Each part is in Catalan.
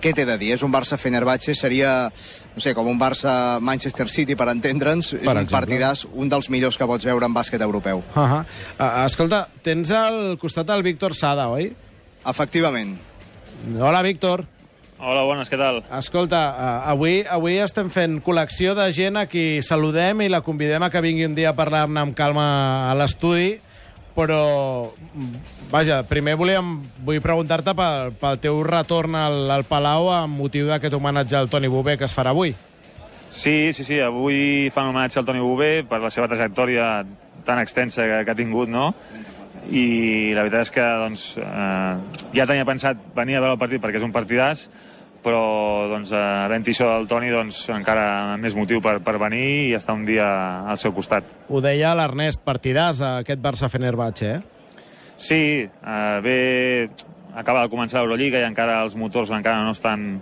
què t'he de dir? És un Barça-Fenerbahçe, seria, no sé, com un Barça-Manchester City, per entendre'ns. És un partidàs, un dels millors que pots veure en bàsquet europeu. Escolta, tens al costat el Víctor Sada, oi? Efectivament. Hola, Víctor. Hola, bones, què tal? Escolta, avui estem fent col·lecció de gent a qui saludem i la convidem a que vingui un dia a parlar-ne amb calma a l'estudi, però, vaja, primer vull preguntar-te pel teu retorn al Palau amb motiu d'aquest homenatge al Toni Bové que es farà avui. Sí, avui fan homenatge al Toni Bové per la seva trajectòria tan extensa que ha tingut, no? I la veritat és que doncs, ja tenia pensat venir a veure el partit perquè és un partidàs, però doncs, havent-hi això del Toni doncs, encara més motiu per venir i estar un dia al seu costat. Ho deia l'Ernest, partidàs, aquest Barça-Fenerbahçe, Sí, acaba de començar l'Eurolliga i encara els motors encara no estan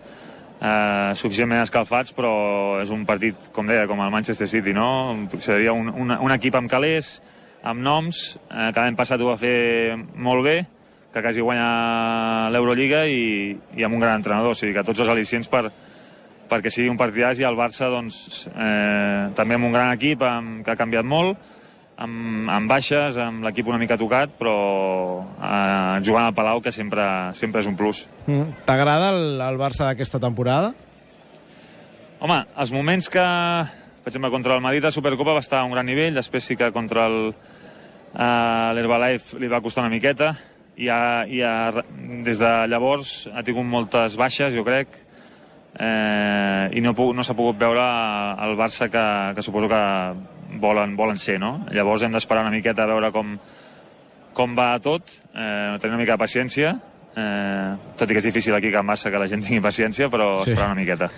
suficientment escalfats, però és un partit, com deia, com el Manchester City, no? Seria un equip amb calés, amb noms, que l'any passat ho va fer molt bé, que quasi guanya l'Eurolliga i amb un gran entrenador, o sigui que tots els al·licients perquè sigui un partidàs, i el Barça doncs, també amb un gran equip que ha canviat molt, amb baixes, amb l'equip una mica tocat, però jugant al Palau, que sempre és un plus. T'agrada el Barça d'aquesta temporada? Home, els moments que, per exemple, contra el Madrid a Supercopa va estar a un gran nivell, després sí que contra l'Herbalife li va costar una miqueta, i des de llavors ha tingut moltes baixes, jo crec, i no s'ha pogut veure el Barça que suposo que volen ser, no? Llavors hem d'esperar una miqueta a veure com va tot, tenir una mica de paciència, tot i que és difícil aquí a Can Barça que la gent tingui paciència, però esperar una miqueta.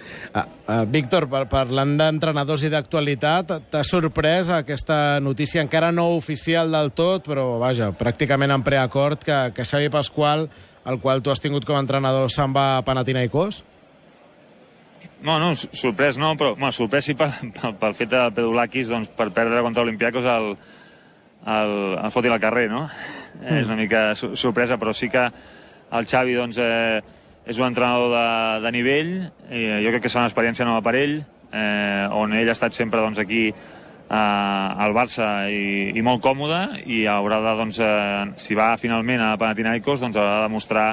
Víctor, parlant d'entrenadors i d'actualitat, t'ha sorprès aquesta notícia encara no oficial del tot, però vaja, pràcticament en preacord, que Xavi Pasqual, el qual tu has tingut com a entrenador, se'n va a Panathinaikos? No, sorprès no, però sorprès sí pel fet de Pedulakis, doncs, per perdre contra l'Olympiakos el foti al carrer, no? És una mica sorpresa, però sí que el Xavi doncs, és un entrenador de nivell, jo crec que serà una experiència nova per ell, on ell ha estat sempre doncs, aquí al Barça i molt còmode, i haurà de, doncs, si va finalment a Panathinaikos, doncs haurà de demostrar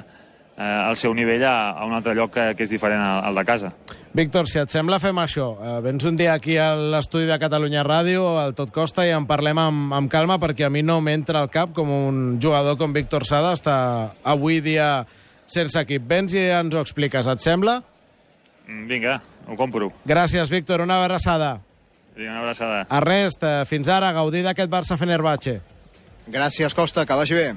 el seu nivell a un altre lloc que és diferent al de casa. Víctor, si et sembla, fem això. Vens un dia aquí a l'estudi de Catalunya Ràdio, al Tot Costa, i en parlem amb calma, perquè a mi no m'entra al cap com un jugador com Víctor Sada està avui dia sense equip. Vens i ens ho expliques, et sembla? Vinga, ho compro. Gràcies, Víctor, una abraçada. Vinga, una abraçada. Ernest, fins ara, gaudir d'aquest Barça-Fenerbahçe. Gràcies, Costa, que vagi bé.